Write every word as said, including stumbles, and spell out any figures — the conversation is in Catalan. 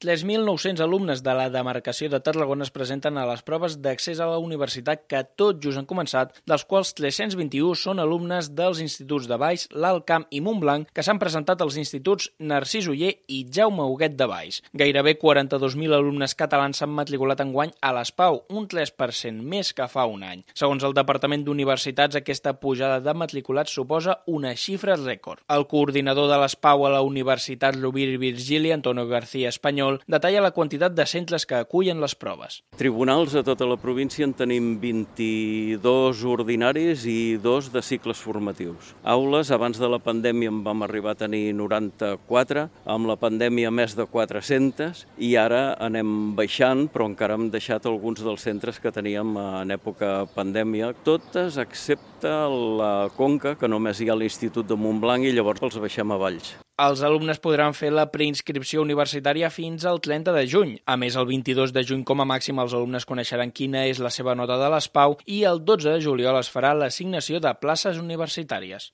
tres mil nou-cents alumnes de la demarcació de Tarragona es presenten a les proves d'accés a la universitat que tot just han començat, dels quals tres-cents vint-i-u són alumnes dels instituts de Valls, l'Alt Camp i Montblanc, que s'han presentat als instituts Narcís Oller i Jaume Huguet de Valls. Gairebé quaranta-dos mil alumnes catalans s'han matriculat enguany a l'S P A U, un tres per cent més que fa un any. Segons el Departament d'Universitats, aquesta pujada de matriculats suposa una xifra rècord. El coordinador de l'S P A U a la Universitat Rovira i Virgili, Antonio García Espanyol, detalla la quantitat de centres que acullen les proves. Tribunals a tota la província en tenim vint-i-dos ordinaris i dos de cicles formatius. Aules, abans de la pandèmia en vam arribar a tenir noranta-quatre, amb la pandèmia més de quatre-centes, i ara anem baixant, però encara hem deixat alguns dels centres que teníem en època pandèmia, totes excepte la Conca, que només hi ha l'Institut de Montblanc i llavors els baixem a Valls. Els alumnes podran fer la preinscripció universitària fins al trenta de juny. A més, el vint-i-dos de juny com a màxim els alumnes coneixeran quina és la seva nota de l'S P A U i el dotze de juliol es farà l'assignació de places universitàries.